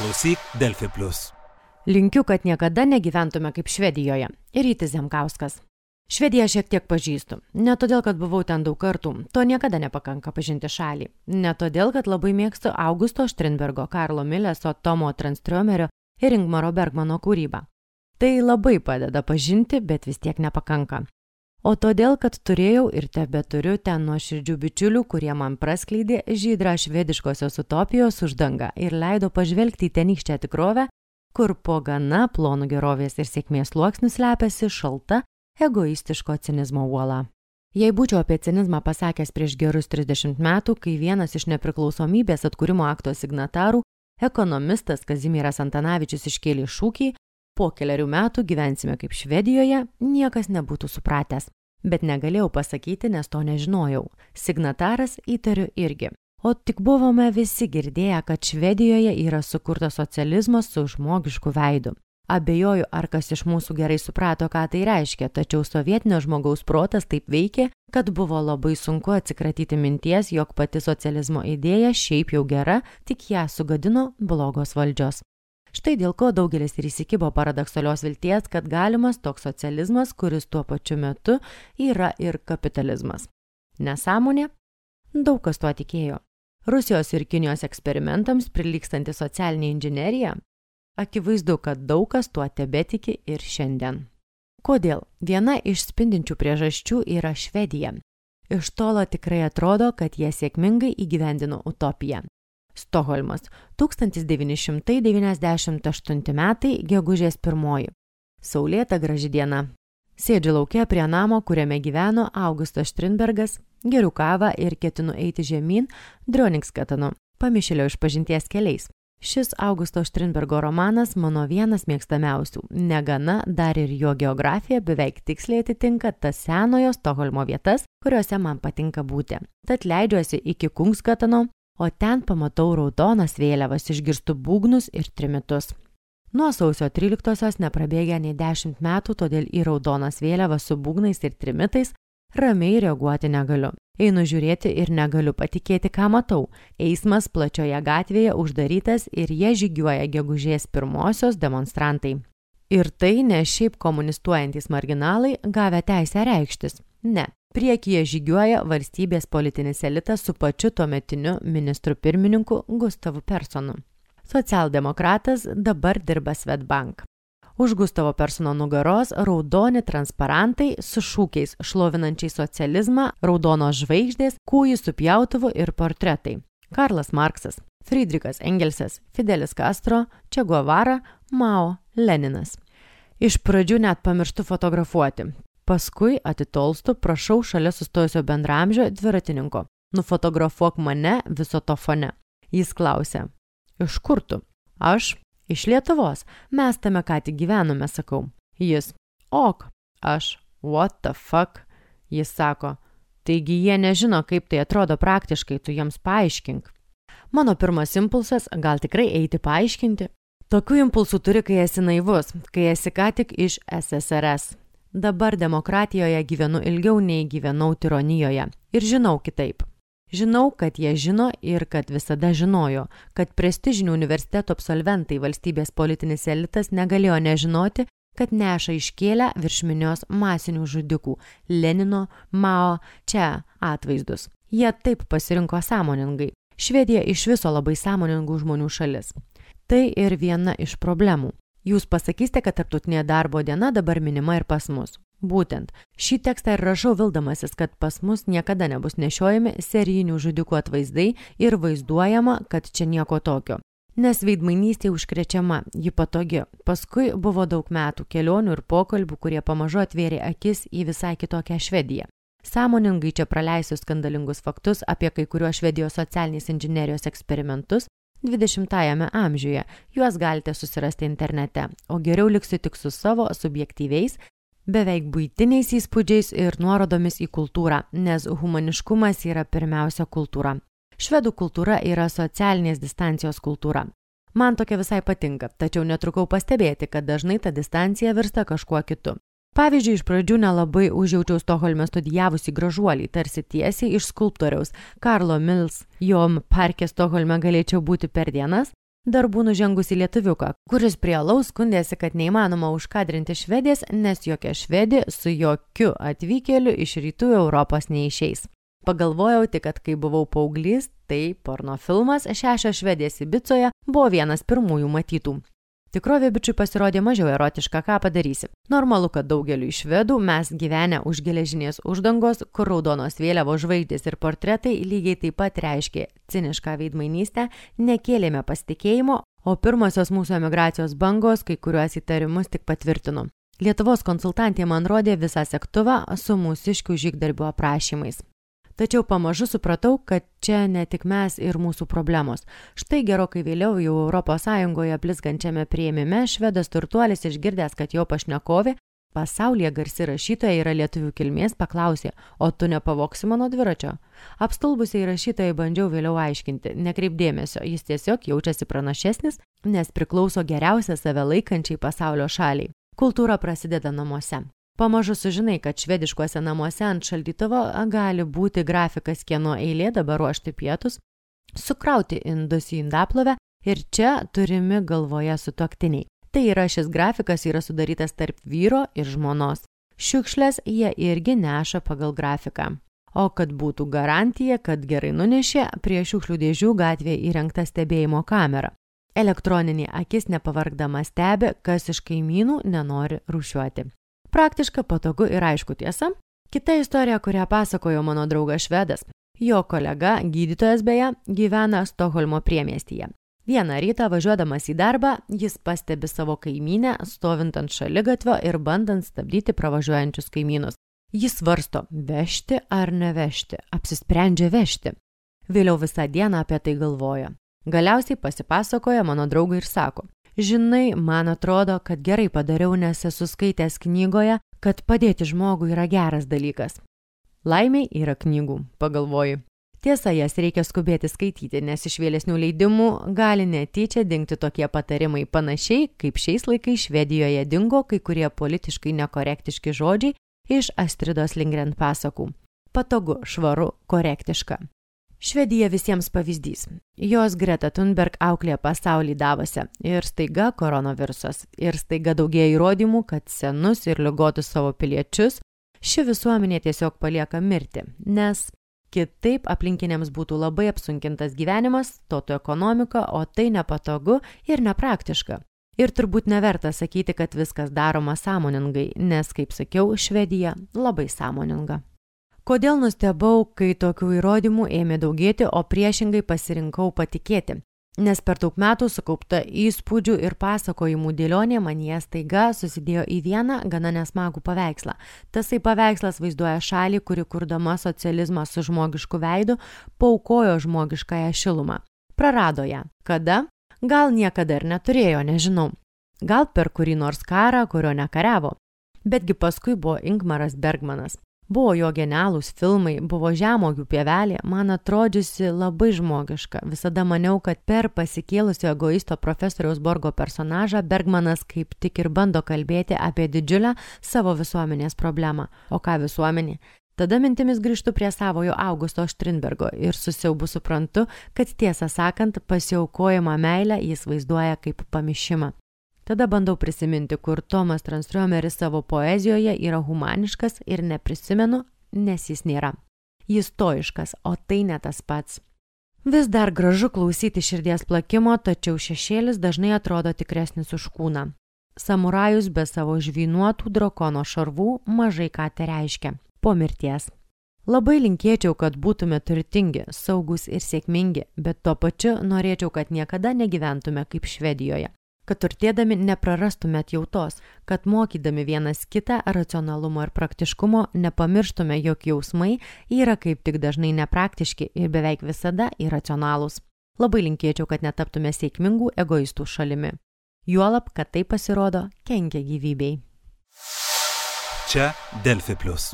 Klausyk Delfi Plus. Linkiu, kad niekada negyventume kaip Švedijoje. Rytis Zemkauskas. Švediją šiek tiek pažįstu. Ne todėl, kad buvau ten daug kartų. To niekada nepakanka pažinti šalį. Ne todėl, kad labai mėgstu Augusto Strindbergo, Karlo Mileso, Tomo Tranströmerio ir Ingmaro Bergmano kūrybą. Tai labai padeda pažinti, bet vis tiek nepakanka. O todėl, kad turėjau ir tebeturiu ten nuoširdžių bičiulių, kurie man praskleidė žydrą švediškosios utopijos uždangą ir leido pažvelgti į tenykštę tikrovę, kur po gana plonų gerovės ir sėkmės sluoksnių slepiasi šalta, egoistiško cinizmo uola. Jei būčiau apie cinizmą pasakęs prieš gerus 30 metų, kai vienas iš nepriklausomybės atkūrimo akto signatarų, ekonomistas Kazimieras Antanavičius iškėlė šūkį po keliarių metų gyvensime kaip Švedijoje, niekas nebūtų supratęs. Bet negalėjau pasakyti, nes to nežinojau. Signataras įtariu irgi. O tik buvome visi girdėję, kad Švedijoje yra sukurtas socializmas su žmogišku veidu. Abejoju, ar kas iš mūsų gerai suprato, ką tai reiškia, tačiau sovietinio žmogaus protas taip veikė, kad buvo labai sunku atsikratyti minties, jog pati socializmo idėja šiaip jau gera, tik ją sugadino blogos valdžios. Štai dėl ko daugelis ir įsikibo paradoksalios vilties, kad galimas toks socializmas, kuris tuo pačiu metu yra ir kapitalizmas. Nesąmonė? Daug kas tuo tikėjo. Rusijos ir Kinijos eksperimentams prilygstanti socialinė inžinerija? Akivaizdu, kad daug kas tuo tebetiki ir šiandien. Kodėl? Viena iš spindinčių priežasčių yra Švedija. Iš tolo tikrai atrodo, kad jie sėkmingai įgyvendino utopiją. Stokholmas, 1998 metai, gegužės 1. Saulėta graži diena. Sėdžiu lauke prie namo, kuriame gyveno Augustas Strindbergas, geriu kavą ir ketinu eiti žemyn Dröningsgatenu, Pamišėlio išpažinties keliais. Šis Augusto Strindbergo romanas mano vienas mėgstamiausių. Negana, dar ir jo geografija beveik tiksliai atitinka tas senojo Stokholmo vietas, kuriuose man patinka būti. Tad leidžiuosi iki Kungsgateno, o ten pamatau raudonas vėliavas, išgirstu būgnus ir trimitus. Nuo sausio 13-osios neprabėgė nei 10 metų, todėl į raudonas vėliavas su būgnais ir trimitais ramiai reaguoti negaliu. Einu žiūrėti ir negaliu patikėti, ką matau. Eismas plačioje gatvėje uždarytas ir jie žygiuoja gegužės 1-osios demonstrantai. Ir tai ne šiaip komunistuojantys marginalai gavę teisę reikštis. Ne. Priekyje žygiuoja valstybės politinis elitas su pačiu tuometiniu ministru pirmininku Gustavu Personu. Socialdemokratas dabar dirba Swedbank. Už Gustavo Persono nugaros raudoni transparantai su šūkiais šlovinančiai socializmą, raudonos žvaigždės, kūjų su pjautuvu ir portretai. Karlas Marksas, Friedrichas Engelsas, Fidelis Castro, Che Guevara, Mao, Leninas. Iš pradžių net pamirštu fotografuoti. Paskui atitolstu, prašau šalia sustojusio bendramžio dviratininko. Nufotografuok mane viso to fone. Jis klausė. Iš kur tu? Aš. Iš Lietuvos. Mes tame ką tik gyvenome, sakau. Jis. Ok. Aš. What the fuck? Jis sako. Taigi jie nežino, kaip tai atrodo praktiškai, tu jiems paaiškink. Mano pirmas impulsas, gal tikrai eiti paaiškinti? Tokių impulsų turi, kai esi naivus, kai esi ką tik iš SSRS. Dabar demokratijoje gyvenu ilgiau nei gyvenau tironijoje. Ir žinau kitaip. Žinau, kad jie žino ir kad visada žinojo, kad prestižinių universitetų absolventai valstybės politinis elitas negalėjo nežinoti, kad neša iškėlę virš minios masinių žudikų Lenino, Mao, čia atvaizdus. Jie taip pasirinko sąmoningai. Švedija iš viso labai sąmoningų žmonių šalis. Tai ir viena iš problemų. Jūs pasakysite, kad tarptautinė darbo diena dabar minima ir pas mus. Būtent, šį tekstą ir rašau vildamasis, kad pas mus niekada nebus nešiojami serijinių žudikų atvaizdai ir vaizduojama, kad čia nieko tokio. Nes veidmainystė užkrečiama, ji patogi. Paskui buvo daug metų kelionių ir pokalbių, kurie pamažu atvėrė akis į visai kitokią Švediją. Sąmoningai čia praleisiu skandalingus faktus apie kai kuriuos Švedijos socialinės inžinerijos eksperimentus 20-ajame amžiuje. Juos galite susirasti internete, o geriau liksiu tik su savo subjektyviais, beveik buitiniais įspūdžiais ir nuorodomis į kultūrą, nes humaniškumas yra pirmiausia kultūra. Švedų kultūra yra socialinės distancijos kultūra. Man tokia visai patinka, tačiau netrukau pastebėti, kad dažnai ta distancija virsta kažkuo kitu. Pavyzdžiui, iš pradžių nelabai užjaučiau Stokholme studijavusi gražuolį, tarsi tiesiai iš skulptoriaus Karlo Mills. Jom parke Stokholme galėčiau būti per dienas, darbų nužengusi lietuviuką, kuris prie alaus skundėsi, kad neįmanoma užkadrinti Švedės, nes jokia Švedė su jokiu atvykėliu iš rytų Europos neišeis. Pagalvojau tik, kad kai buvau paauglys, tai pornofilmas 6 Švedės Ibicoje buvo vienas pirmųjų matytų. Tikrovė bičiui pasirodė mažiau erotiška, ką padarysi. Normalu, kad daugeliu iš švedų mes gyvenę už geležinės uždangos, kur raudonos vėliavos žvaigždės ir portretai lygiai taip pat reiškė cinišką veidmainystę, nekėlėme pasitikėjimo, o pirmosios mūsų emigracijos bangos kai kuriuos įtarimus tik patvirtino. Lietuvos konsultantė man rodė visą sektuvą su mūsiškių žygdarbių aprašymais. Tačiau pamažu supratau, kad čia ne tik mes ir mūsų problemos. Štai gerokai vėliau jau Europos Sąjungoje blizgančiame priėmime švedas turtuolis išgirdęs, kad jo pašnekovė, pasaulyje garsi rašytoja yra lietuvių kilmės, paklausė, o tu nepavoksi mano dviračio? Apstulbusiai rašytojai bandžiau vėliau aiškinti, nekreip dėmesio, jis tiesiog jaučiasi pranašesnis, nes priklauso geriausia save laikančiai pasaulio šaliai. Kultūra prasideda namuose. Pamažu sužinai, kad švediškuose namuose ant šaldytuvo gali būti grafikas, kieno eilė dabar ruošti pietus, sukrauti indus į indaplovę ir čia turimi galvoje sutuoktiniai. Tai yra, šis grafikas yra sudarytas tarp vyro ir žmonos. Šiukšlės jie irgi neša pagal grafiką. O kad būtų garantija, kad gerai nunešė, prie šiukšlių dėžių gatvėje įrengta stebėjimo kamera. Elektroninė akis nepavargdama stebi, kas iš kaimynų nenori rūšiuoti. Praktiška, patogu ir aišku tiesa. Kita istorija, kurią pasakojo mano draugas švedas. Jo kolega, gydytojas beje, gyvena Stokholmo priemiestyje. Vieną rytą važiuodamas į darbą, jis pastebi savo kaimynę, stovint ant šaligatvio ir bandant stabdyti pravažiuojančius kaimynus. Jis svarsto, vežti ar nevežti, apsisprendžia vežti. Vėliau visą dieną apie tai galvoja. Galiausiai pasipasakoja mano draugui ir sako, žinai, man atrodo, kad gerai padariau, nes esu skaitęs knygoje, kad padėti žmogui yra geras dalykas. Laimei yra knygų, pagalvoju. Tiesa, jas reikia skubėti skaityti, nes iš vėlesnių leidimų gali netyčia dingti tokie patarimai panašiai, kaip šiais laikais Švedijoje dingo kai kurie politiškai nekorektiški žodžiai iš Astridos Lindgren pasakų. Patogu, švaru, korektiška. Švedija visiems pavyzdys. Jos Greta Thunberg auklė pasaulį Davose ir staiga koronavirusas. Ir staiga daugėja įrodymų, kad senus ir ligotus savo piliečius ši visuomenė tiesiog palieka mirti, nes kitaip aplinkiniams būtų labai apsunkintas gyvenimas, totų ekonomika, o tai nepatogu ir nepraktiška. Ir turbūt neverta sakyti, kad viskas daroma sąmoningai, nes, kaip sakiau, Švedija labai sąmoninga. Kodėl nustebau, kai tokių įrodymų ėmė daugėti, o priešingai pasirinkau patikėti? Nes per daug metų sukaupta įspūdžių ir pasakojimų dėlionė manyje staiga susidėjo į vieną gana nesmagų paveikslą. Tasai paveikslas vaizduoja šalį, kuri kurdama socializmą su žmogišku veidu, paaukojo žmogiškąją šilumą. Prarado ją. Kada? Gal niekada ir neturėjo, nežinau. Gal per kurį nors karą, kurio nekariavo. Betgi paskui buvo Ingmaras Bergmanas. Buvo jo genialūs filmai, buvo Žemuogių pievelė, man atrodžiusi labai žmogiška. Visada maniau, kad per pasikėlusio egoisto profesoriaus Borgo personažą Bergmanas kaip tik ir bando kalbėti apie didžiulę savo visuomenės problemą. O ką visuomenė? Tada mintimis grįžtu prie savojo Augusto Strindbergo ir su siaubu suprantu, kad tiesą sakant, pasiaukojimą meilę jis vaizduoja kaip pamišimą. Tada bandau prisiminti, kur Tomas Tranströmeris savo poezijoje yra humaniškas ir neprisimenu, nes jis nėra. Jis stoiškas, o tai ne tas pats. Vis dar gražu klausyti širdies plakimo, tačiau šešėlis dažnai atrodo tikresnis už kūną. Samurajus be savo žvynuotų drakono šarvų mažai ką tai reiškia. Po mirties. Labai linkėčiau, kad būtume turtingi, saugus ir sėkmingi, bet tuo pačiu norėčiau, kad niekada negyventume kaip Švedijoje. Kad turtėdami neprarastume atjautos, kad mokydami vienas kitą racionalumo ir praktiškumo nepamirštume, jog jausmai yra kaip tik dažnai nepraktiški ir beveik visada iracionalūs. Labai linkėčiau, kad netaptume sėkmingų egoistų šalimi. Juolab, kad tai pasirodo kenkia gyvybei. Čia Delfi Plus.